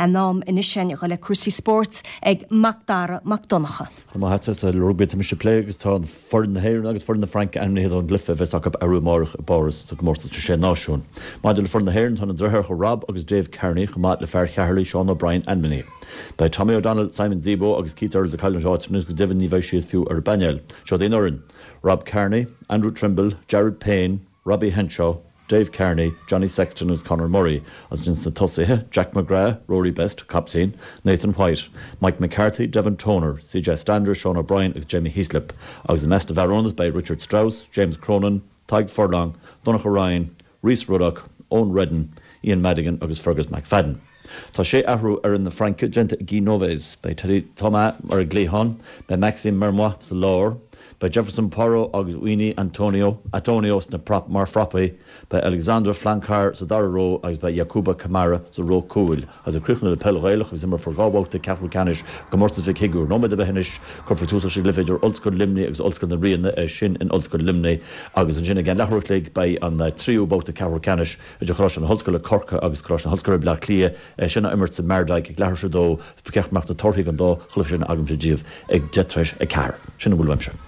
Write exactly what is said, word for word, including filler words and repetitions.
An am anois sin le cúrsaí spóirt ag Macdara Mac Donncha. Má sa rugbaí mise plé agus tá foireann na hÉireann agus foireann na Fraince ainmnithe don gcluiche a bheas acu arú amárach i bPáras sa gcomórtas sé náisiún. Maidir le foireann na hÉireann tá na deartháireacha Rob agus Dave Kearney chomh maith le fear Cheatharlach Sean O'Brien ainmnithe. Beidh Tommy O'Donnell, Simon Zebo agus Keith Earls ag cailliúint áit go deimhin ní bheidh siad fiú ar an bpainéal. Seo an fhoireann. Rob Kearney, Andrew Trimble, Jared Payne, Robbie Henshaw, Dave Kearney, Johnny Sexton agus Conor Murray as sin sna tosaithe, Jack McGrath, Rory Best, captaen, Nathan White, Mike McCarthy, Devin Toner, CJ Stander, Sean O'Brien agus Jamie Heaslip, agus i measc na bhfear ionaid beidh Richard Strauss, James Cronin, Tadhg Furlong, Donnacha Ryan, Rhys Ruddock, Eoin Reddan, Ian Madigan agus Fergus McFadden. Tá sé athrú ar fhoireann na Fraince déanta ag Guy Novès, beidh Teddy Thomas ar an gcliathán, beidh Maxime Mermoy sa lár, Beidh Jefferson Poirot agus Uini Antonio Atonio sna prop mar phropaí, beidh Alexandre Blancard sa dara ró agus beidh Yacouba Camara sa ró cúil. Agus ag críochnú le peil Ghaelach agus imreofar dhá bhabhta ceathrú ceannais comórtas Mhic Shigiúir. Nóiméad ar bith anois cuirfear tús leis an gcluiche idir Ollscoil Luimnigh agus Ollscoil na Ríona é sin in Ollscoil Luimnigh agus ansin ag an leathuair chloig beidh an tríú babhta ceathrú ceannais idir Choláiste na hOllscoile Corcaigh agus Coláiste na hOllscoile Bleá Cliath é sin á imirt sa Mardyke ag leathuair tar éis a dó ceart go mbeadh na torthaí an dá chluiche sin agamsa daoibh ag deich tar éis a ceathair. Sin a bhfuil uaimse.